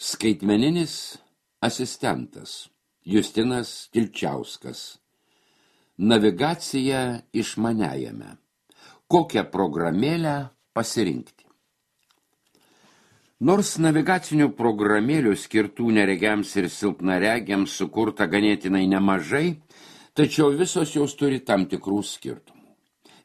Skaitmeninis asistentas Justinas Kilčiauskas. Navigacija išmaniajame. Kokią programėlę pasirinkti? Nors navigacinių programėlių skirtų neregiams ir silpnaregiams sukurta ganėtinai nemažai, tačiau visos jos turi tam tikrų skirtumų.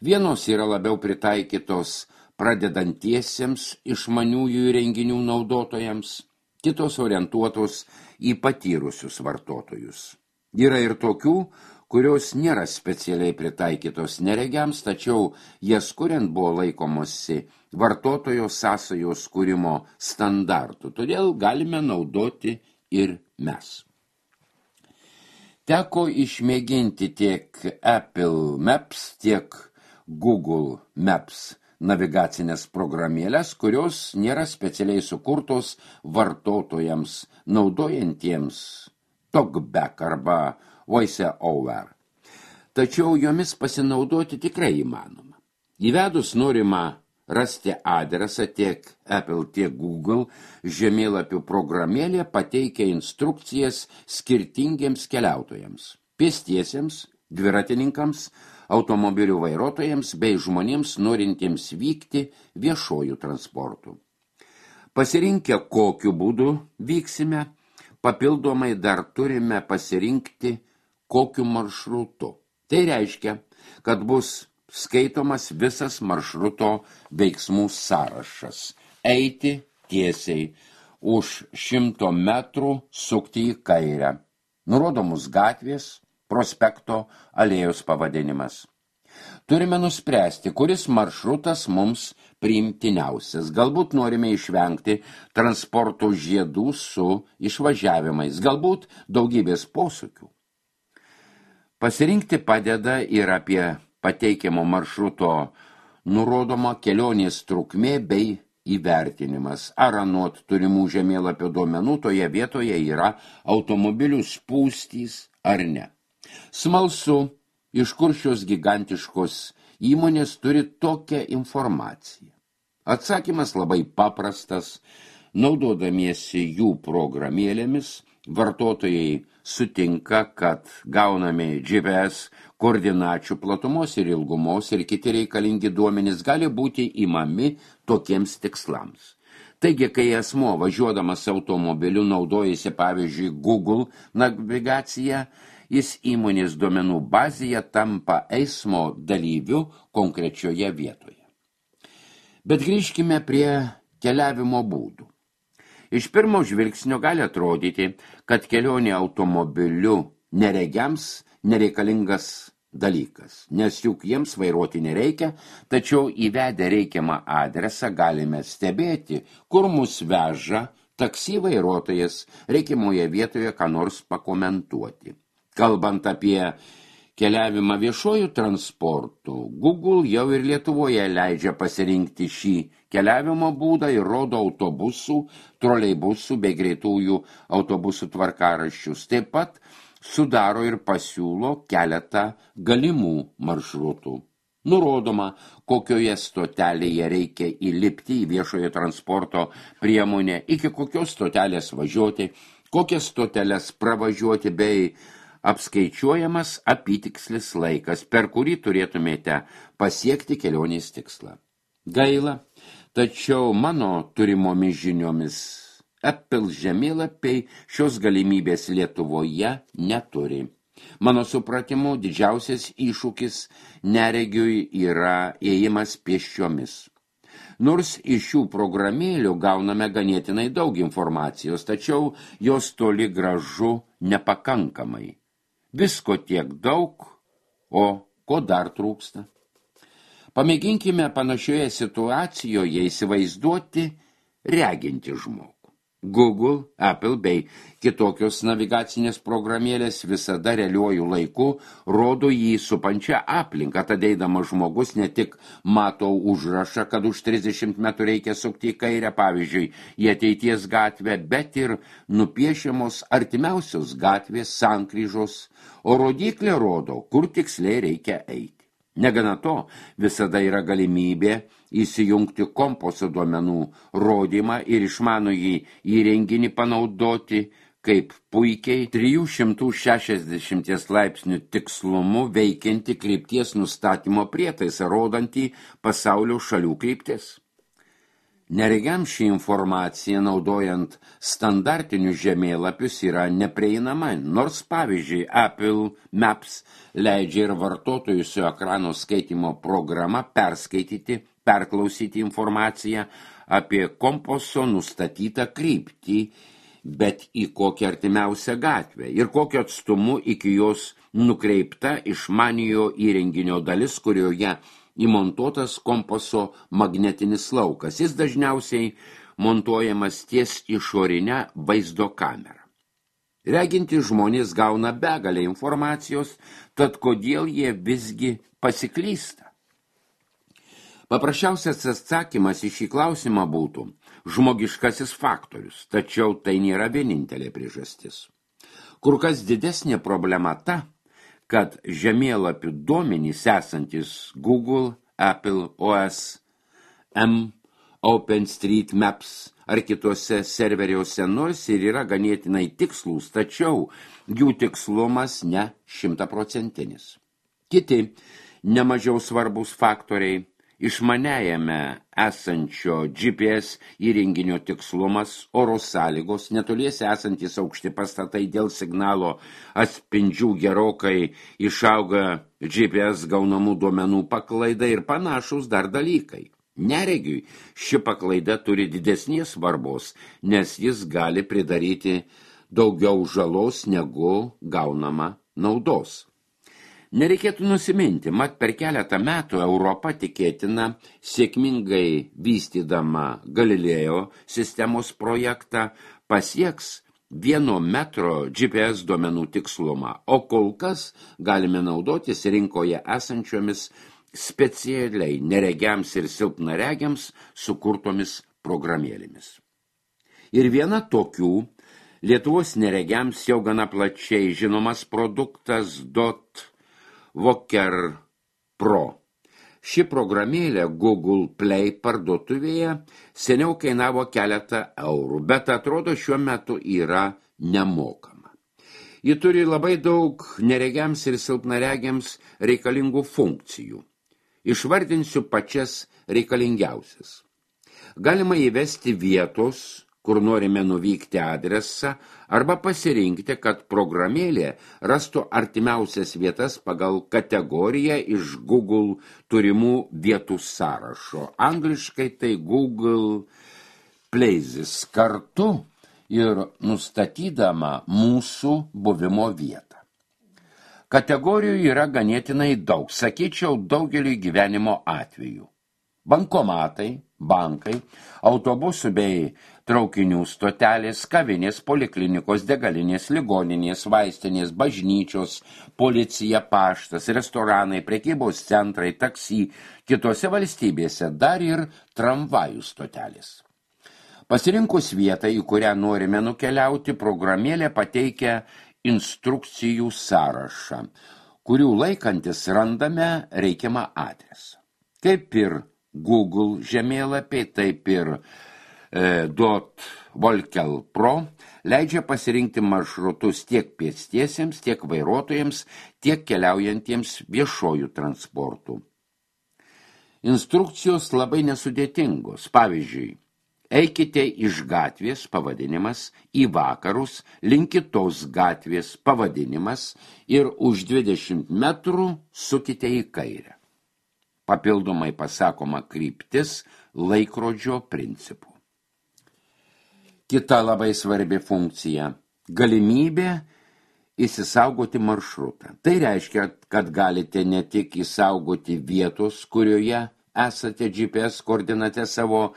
Vienos yra labiau pritaikytos pradedantiesiems išmaniųjų įrenginių naudotojams, kitos orientuotos į patyrusius vartotojus. Yra ir tokių, kurios nėra specialiai pritaikytos neregiams, tačiau jas kuriant buvo laikomosi vartotojo sąsajos kūrimo standartų, todėl galime naudoti ir mes. Teko išmėginti tiek Apple Maps, tiek Google Maps navigacinės programėlės, kurios nėra specialiai sukurtos vartotojams naudojantiems TalkBack arba VoiceOver. Tačiau jomis pasinaudoti tikrai įmanoma. Įvedus norimą rasti adresą tiek Apple, tiek Google žemėlapių programėlė pateikia instrukcijas skirtingiems keliautojams, pėstiesiems, dviratininkams, automobilių vairuotojams bei žmonėms norintiems vykti viešuoju transportu. Pasirinkę kokiu būdu vyksime, papildomai dar turime pasirinkti kokiu maršrutu. Tai reiškia, kad bus skaitomas visas maršruto veiksmų sąrašas. Eiti tiesiai, už 100 metrų sukti į kairę. Nurodomus gatvės, prospekto, alėjos pavadinimas. Turime nuspręsti, kuris maršrutas mums priimtiniausias. Galbūt norime išvengti transporto žiedų su išvažiavimais, galbūt daugybės posūkių. Pasirinkti padeda ir apie pateikiamo maršruto nurodoma kelionės trukmė bei įvertinimas. Ar anot turimų žemėlapio duomenų toje vietoje yra automobilių spūstys ar ne. Smalsu, iš kur šios gigantiškos įmonės turi tokią informaciją. Atsakymas labai paprastas. Naudodamiesi jų programėlėmis, vartotojai sutinka, kad gaunami GPS koordinačių platumos ir ilgumos ir kiti reikalingi duomenys gali būti imami tokiems tikslams. Taigi, kai asmuo važiuodamas automobiliu naudojasi pavyzdžiui Google navigaciją, jis įmonės duomenų bazėje tampa eismo dalyviu konkrečioje vietoje. Bet grįžkime prie keliavimo būdų. Iš pirmo žvilgsnio gali atrodyti, kad kelionė automobiliu neregiams nereikalingas dalykas, nes juk jiems vairuoti nereikia, tačiau įvedę reikiamą adresą galime stebėti, kur mus veža taksi vairuotojas, reikiamoje vietoje ką nors pakomentuoti. Kalbant apie keliavimą viešuoju transportu, Google jau ir Lietuvoje leidžia pasirinkti šį keliavimo būdą ir rodo autobusų, troleibusų bei greitųjų autobusų tvarkaraščius. Taip pat sudaro ir pasiūlo keletą galimų maršrutų. Nurodoma, kokioje stotelėje reikia įlipti į viešojo transporto priemonę, iki kokios stotelės važiuoti, kokias stoteles pravažiuoti bei apskaičiuojamas apytikslis laikas, per kurį turėtumėte pasiekti kelionės tikslą. Gaila, tačiau mano turimomis žiniomis Apple žemėlapiai šios galimybės Lietuvoje neturi. Mano supratimu, didžiausias iššūkis neregiui yra ėjimas pėsčiomis. Nors iš šių programėlių gauname ganėtinai daug informacijos, tačiau jos toli gražu nepakankamai. Visko tiek daug, o ko dar trūksta? Pamėginkime panašioje situacijoje įsivaizduoti regintį žmogų. Google, Apple bei kitokios navigacinės programėlės visada realiuoju laiku rodo jį supančią aplinką, tad eidamas žmogus ne tik mato užrašą, kad už 30 metrų reikia sukti į kairę, pavyzdžiui, į ateities gatvę, bet ir nupiešiamos artimiausios gatvės sankryžos, o rodyklė rodo, kur tiksliai reikia eiti. Negana to, visada yra galimybė įsijungti kompaso duomenų rodymą ir išmanųjį įrenginį panaudoti kaip puikiai 360 laipsnių tikslumu veikianti krypties nustatymo prietaisą, rodantį pasaulio šalių kryptis. Neregiams ši informacija, naudojant standartinius žemėlapius, yra neprieinama, nors pavyzdžiui Apple Maps leidžia ir vartotojų su ekrano skaitymo programa perklausyti informaciją apie kompaso nustatytą kryptį, bet į kokią artimiausią gatvę ir kokiu atstumu iki jos nukreipta išmaniojo įrenginio dalis, kurioje įmontuotas kompaso magnetinis laukas. Jis dažniausiai montuojamas ties išorinę vaizdo kamerą. Reginti žmonės gauna begalę informacijos, tad kodėl jie visgi pasiklysta? Paprasčiausias atsakymas į šį klausimą būtų žmogiškasis faktorius, tačiau tai nėra vienintelė priežastis. Kur kas didesnė problema ta, kad žemėlapių duomenys esantis Google, Apple OS, OpenStreetMaps ar kitose serveriuose nors ir yra ganėtinai tikslūs, tačiau jų tikslumas ne 100%. Kiti nemažiau svarbus faktoriai išmaniajame esančio GPS įrenginio tikslumas, oro sąlygos, netoliese esantis aukšti pastatai dėl signalo atspindžių gerokai išauga GPS gaunamų duomenų paklaida ir panašus dar dalykai. Neregiui ši paklaida turi didesnės svarbos, nes jis gali pridaryti daugiau žalos negu gaunama naudos. Nereikėtų nusiminti, mat per keletą metų Europa tikėtina sėkmingai vystydama Galilėjo sistemos projektą pasieks 1 metro GPS duomenų tikslumą, o kol kas galime naudotis rinkoje esančiomis specialiai neregiams ir silpnaregiams sukurtomis programėlėmis. Ir viena tokių Lietuvos neregiams jau gana plačiai žinomas produktas Voker Pro. Ši programėlė Google Play parduotuvėje seniau kainavo keletą eurų, bet atrodo šiuo metu yra nemokama. Ji turi labai daug neregiams ir silpnaregiams reikalingų funkcijų. Išvardinsiu pačias reikalingiausias. Galima įvesti vietos, kur norime nuvykti adresą, arba pasirinkti, kad programėlė rastų artimiausias vietas pagal kategoriją iš Google turimų vietų sąrašo. Angliškai tai Google Places kartu ir nustatydama mūsų buvimo vietą. Kategorijų yra ganėtinai daug, sakyčiau, daugeliui gyvenimo atvejų. Bankomatai, bankai, autobusų bei traukinių stotelės, kavinės, poliklinikos, degalinės, ligoninės, vaistinės, bažnyčios, policija, paštas, restoranai, prekybos centrai, taksi, kitose valstybėse dar ir tramvajų stotelės. Pasirinkus vietą, į kurią norime nukeliauti, programėlė pateikia instrukcijų sąrašą, kurių laikantis randame reikiamą adresą. Kaip ir Google žemėlapiai, taip ir Voker Pro leidžia pasirinkti maršrutus tiek pėstiesiems, tiek vairuotojams, tiek keliaujantiems viešojų transportų. Instrukcijos labai nesudėtingos. Pavyzdžiui, eikite iš gatvės pavadinimas į vakarus, link kitos gatvės pavadinimas ir už 20 metrų sukite į kairę. Papildomai pasakoma kryptis laikrodžio principu. Kita labai svarbi funkcija – galimybė įsisaugoti maršrutą. Tai reiškia, kad galite ne tik įsaugoti vietos, kurioje esate GPS koordinate savo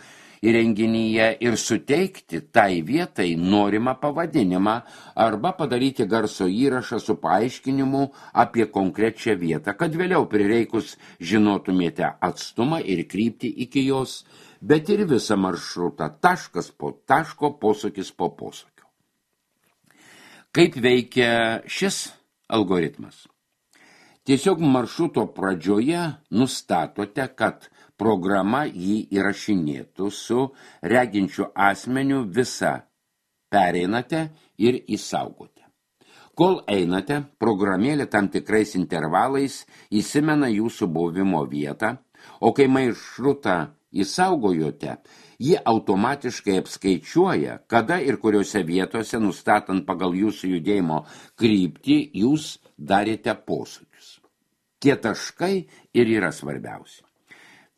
įrenginyje ir suteikti tai vietai norimą pavadinimą arba padaryti garso įrašą su paaiškinimu apie konkrečią vietą, kad vėliau prireikus žinotumėte atstumą ir kryptį iki jos, bet ir visą maršrutą, taškas po taško, posūkis po posūkio. Kaip veikia šis algoritmas? Tiesiog maršruto pradžioje nustatote, kad programa jį įrašinėtų su reginčiu asmeniu visą pereinate ir įsaugote. Kol einate, programėlė tam tikrais intervalais įsimena jūsų buvimo vietą, o kai maršrutą įsaugojote, ji automatiškai apskaičiuoja, kada ir kuriuose vietose, nustatant pagal jūsų judėjimo kryptį, jūs darėte posūkius. Tie taškai ir yra svarbiausi.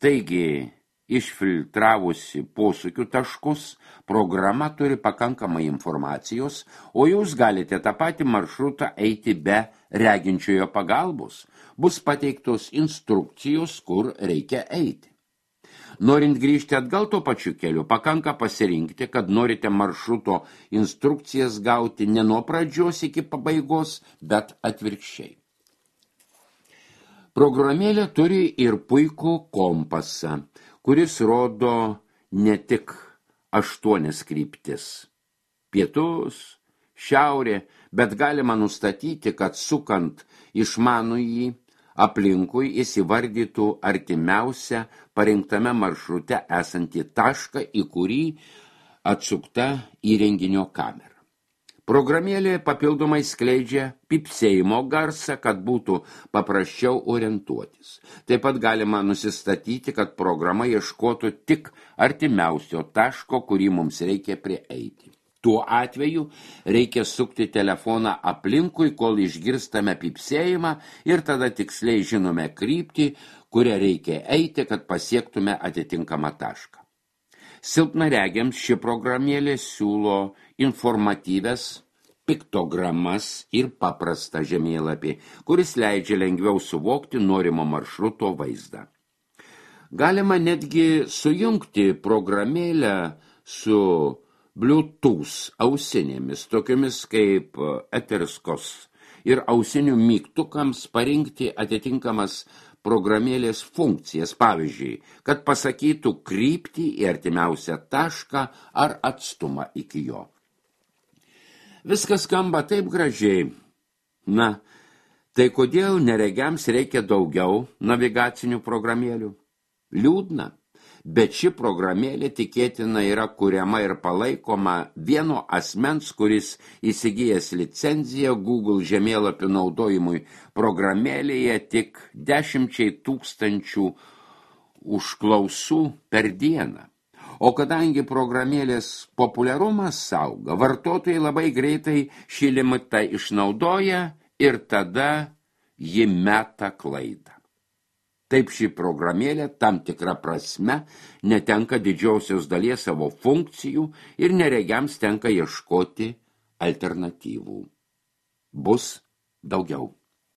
Taigi, išfiltravusi posūkių taškus, programa turi pakankamai informacijos, o jūs galite tą patį maršrutą eiti be reginčiojo pagalbos. Bus pateiktos instrukcijos, kur reikia eiti. Norint grįžti atgal tuo pačiu keliu, pakanka pasirinkti, kad norite maršruto instrukcijas gauti ne nuo pradžios iki pabaigos, bet atvirkščiai. Programėlė turi ir puikų kompasą, kuris rodo ne tik 8 kryptis – pietus, šiaurė, bet galima nustatyti, kad sukant išmanųjį aplinkui įsivardytų artimiausią parinktame maršrute esantį tašką, į kurį atsukta įrenginio kamera. Programėlė papildomai skleidžia pypsėjimo garsą, kad būtų paprasčiau orientuotis. Taip pat galima nusistatyti, kad programa ieškotų tik artimiausio taško, kurį mums reikia prieiti. Tuo atveju reikia sukti telefoną aplinkui, kol išgirstame pypsėjimą ir tada tiksliai žinome kryptį, kurią reikia eiti, kad pasiektume atitinkamą tašką. Silpnaregiams ši programėlė siūlo informatyves piktogramas ir paprastą žemėlapį, kuris leidžia lengviau suvokti norimo maršruto vaizdą. Galima netgi sujungti programėlę su Bluetooth ausinėmis, tokiomis kaip Eterskos, ir ausinių mygtukams parinkti atitinkamas programėlės funkcijas, pavyzdžiui, kad pasakytų kryptį į artimiausią tašką ar atstumą iki jo. Viskas skamba taip gražiai. Na, tai kodėl neregiams reikia daugiau navigacinių programėlių? Liūdna, bet ši programėlė tikėtina yra kuriama ir palaikoma vieno asmens, kuris įsigijęs licenciją Google žemėlapių naudojimui programėlėje tik 10 000 užklausų per dieną. O kadangi programėlės populiarumas auga, vartotojai labai greitai šį limitą išnaudoja ir tada ji meta klaidą. Taip ši programėlė tam tikra prasme netenka didžiausios dalies savo funkcijų ir neregiams tenka ieškoti alternatyvų. Bus daugiau.